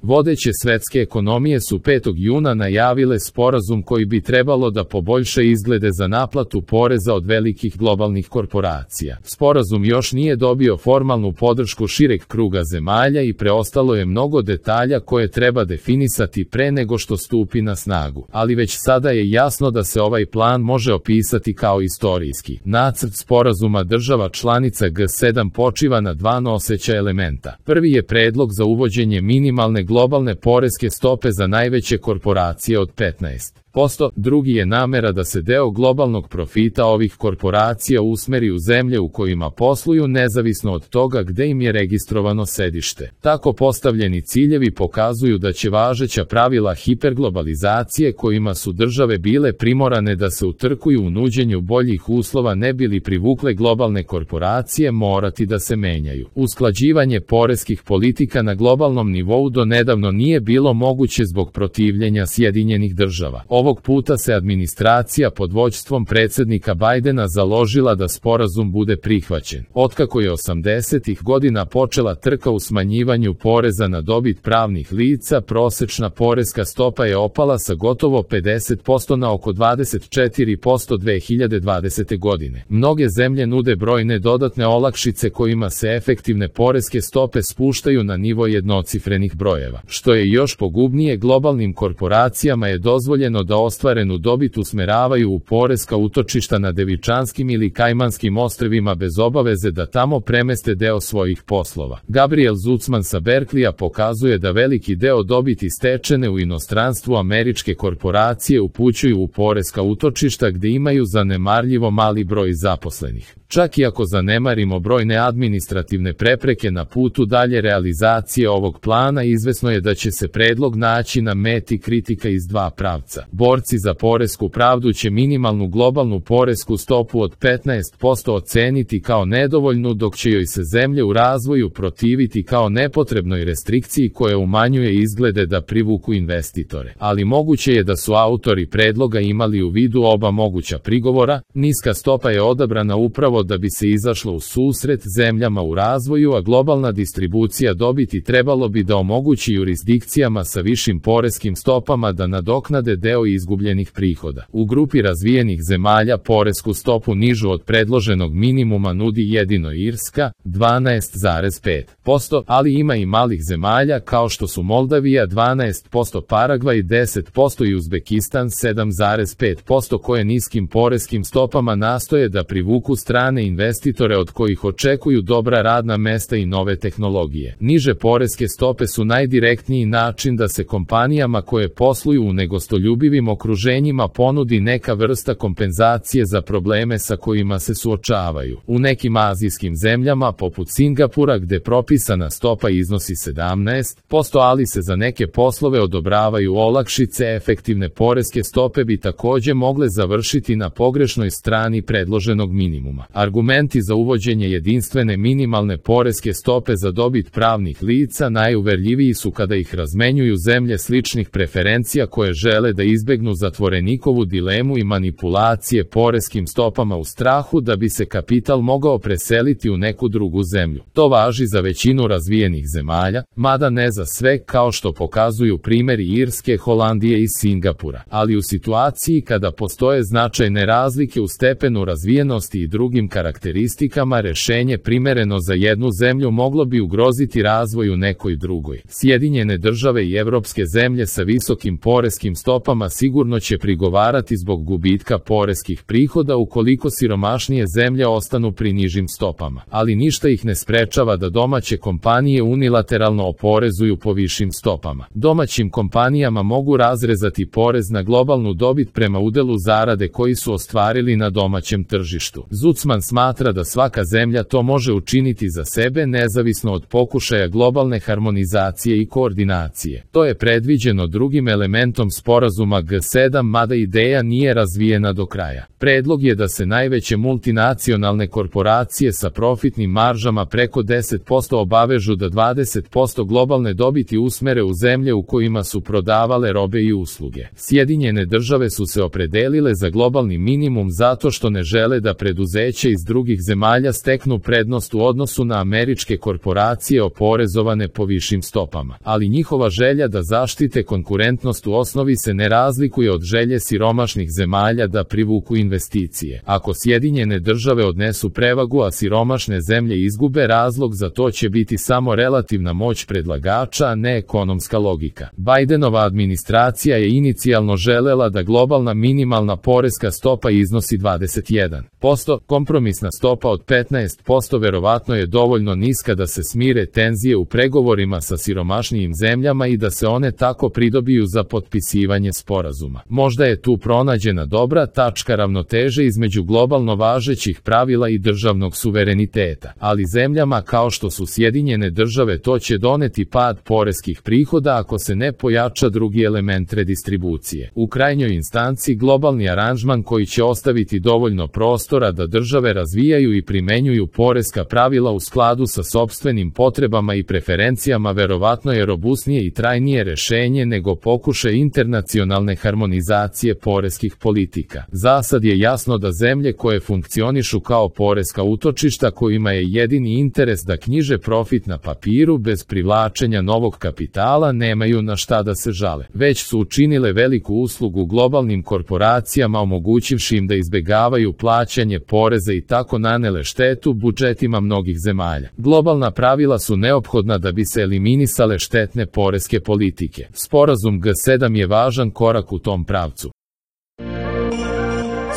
Vodeće svetske ekonomije su 5. juna najavile sporazum koji bi trebalo da poboljša izglede za naplatu poreza od velikih globalnih korporacija. Sporazum još nije dobio formalnu podršku šireg kruga zemalja i preostalo je mnogo detalja koje treba definisati pre nego što stupi na snagu, ali već sada je jasno da se ovaj plan može opisati kao istorijski. Nacrt sporazuma država članica G7 počiva na dva noseća elementa. Prvi je predlog za uvođenje minimalne globalne poreske stope za najveće korporacije od 15%, drugi je namera da se deo globalnog profita ovih korporacija usmeri u zemlje u kojima posluju nezavisno od toga gde im je registrovano sedište. Tako postavljeni ciljevi pokazuju da će važeća pravila hiperglobalizacije kojima su države bile primorane da se utrkuju u nuđenju boljih uslova ne bili privukle globalne korporacije morati da se menjaju. Usklađivanje poreskih politika na globalnom nivou do nedavno nije bilo moguće zbog protivljenja Sjedinjenih država. Ovog puta se administracija pod vođstvom predsjednika Bajdena založila da sporazum bude prihvaćen. Otkako je 80-ih godina počela trka u smanjivanju poreza na dobit pravnih lica, prosečna poreska stopa je opala sa gotovo 50% na oko 24% 2020. godine. Mnoge zemlje nude brojne dodatne olakšice kojima se efektivne poreske stope spuštaju na nivo jednocifrenih brojeva. Što je još pogubnije, globalnim korporacijama je dozvoljeno da ostvarenu dobit usmeravaju u poreska utočišta na Devičanskim ili Kajmanskim ostrvima bez obaveze da tamo premeste deo svojih poslova. Gabriel Zucman sa Berkleya pokazuje da veliki deo dobiti stečene u inostranstvu američke korporacije upućuju u poreska utočišta gde imaju zanemarljivo mali broj zaposlenih. Čak i ako zanemarimo brojne administrativne prepreke na putu dalje realizacije ovog plana, izvesno je da će se predlog naći na meti kritika iz dva pravca. Borci za poresku pravdu će minimalnu globalnu poresku stopu od 15% oceniti kao nedovoljnu, dok će joj se zemlje u razvoju protiviti kao nepotrebnoj restrikciji koja umanjuje izglede da privuku investitore. Ali moguće je da su autori predloga imali u vidu oba moguća prigovora. Niska stopa je odabrana upravo da bi se izašlo u susret zemljama u razvoju, a globalna distribucija dobiti trebalo bi da omogući jurisdikcijama sa višim poreskim stopama da nadoknade deo izgubljenih prihoda. U grupi razvijenih zemalja poresku stopu nižu od predloženog minimuma nudi jedino Irska, 12,5%, ali ima i malih zemalja kao što su Moldavija 12%, Paragvaj 10% i Uzbekistan 7,5% koje niskim poreskim stopama nastoje da privuku strane investitore od kojih očekuju dobra radna mesta i nove tehnologije. Niže poreske stope su najdirektniji način da se kompanijama koje posluju u negostoljubivim okruženjima ponudi neka vrsta kompenzacije za probleme sa kojima se suočavaju. U nekim azijskim zemljama poput Singapura, gde propisana stopa iznosi 17%, ali se za neke poslove odobravaju olakšice, efektivne poreske stope bi takođe mogle završiti na pogrešnoj strani predloženog minimuma. Argumenti za uvođenje jedinstvene minimalne poreske stope za dobit pravnih lica najuverljiviji su kada ih razmenjuju zemlje sličnih preferencija koje žele da izbegnu zatvorenikovu dilemu i manipulacije poreskim stopama u strahu da bi se kapital mogao preseliti u neku drugu zemlju. To važi za većinu razvijenih zemalja, mada ne za sve, kao što pokazuju primjeri Irske, Holandije i Singapura. Ali u situaciji kada postoje značajne razlike u stepenu razvijenosti i drugim karakteristikama, rešenje primereno za jednu zemlju moglo bi ugroziti razvoj u nekoj drugoj. Sjedinjene države i evropske zemlje sa visokim poreskim stopama sigurno će prigovarati zbog gubitka poreskih prihoda ukoliko siromašnije zemlje ostanu pri nižim stopama. Ali ništa ih ne sprečava da domaće kompanije unilateralno oporezuju po višim stopama. Domaćim kompanijama mogu razrezati porez na globalnu dobit prema udelu zarade koji su ostvarili na domaćem tržištu. Zucman smatra da svaka zemlja to može učiniti za sebe nezavisno od pokušaja globalne harmonizacije i koordinacije. To je predviđeno drugim elementom sporazuma G7, mada ideja nije razvijena do kraja. Predlog je da se najveće multinacionalne korporacije sa profitnim maržama preko 10% obavežu da 20% globalne dobiti usmere u zemlje u kojima su prodavale robe i usluge. Sjedinjene države su se opredelile za globalni minimum zato što ne žele da preduzeće iz drugih zemalja steknu prednost u odnosu na američke korporacije oporezovane po višim stopama. Ali njihova želja da zaštite konkurentnost u osnovi se ne razlikuje od želje siromašnih zemalja da privuku investicije. Ako Sjedinjene države odnesu prevagu, a siromašne zemlje izgube, razlog za to će biti samo relativna moć predlagača, a ne ekonomska logika. Bidenova administracija je inicijalno želela da globalna minimalna poreska stopa iznosi 21%, kompromisna stopa od 15% verovatno je dovoljno niska da se smire tenzije u pregovorima sa siromašnijim zemljama i da se one tako pridobiju za potpisivanje sporazuma. Možda je tu pronađena dobra tačka ravnoteže između globalno važećih pravila i državnog suvereniteta, ali zemljama kao što su Sjedinjene države to će doneti pad poreskih prihoda ako se ne pojača drugi element redistribucije. U krajnjoj instanci globalni aranžman koji će ostaviti dovoljno prostora da države razvijaju i primenjuju poreska pravila u skladu sa sopstvenim potrebama i preferencijama verovatno je robusnije i trajnije rešenje nego pokušaj internacionalne harmonizacije poreskih politika. Zasad je jasno da zemlje koje funkcionišu kao poreska utočišta kojima je jedini interes da knjiže profit na papiru bez privlačenja novog kapitala nemaju na šta da se žale. Već su učinile veliku uslugu globalnim korporacijama omogućivši im da izbegavaju plaćanje poreza i tako nanele štetu budžetima mnogih zemalja. Globalna pravila su neophodna da bi se eliminisale štetne poreske politike. Sporazum G7 je važan korak u tom pravcu.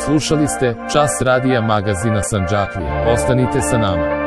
Slušali ste Čas radija magazina Sandžaklija. Ostanite sa nama.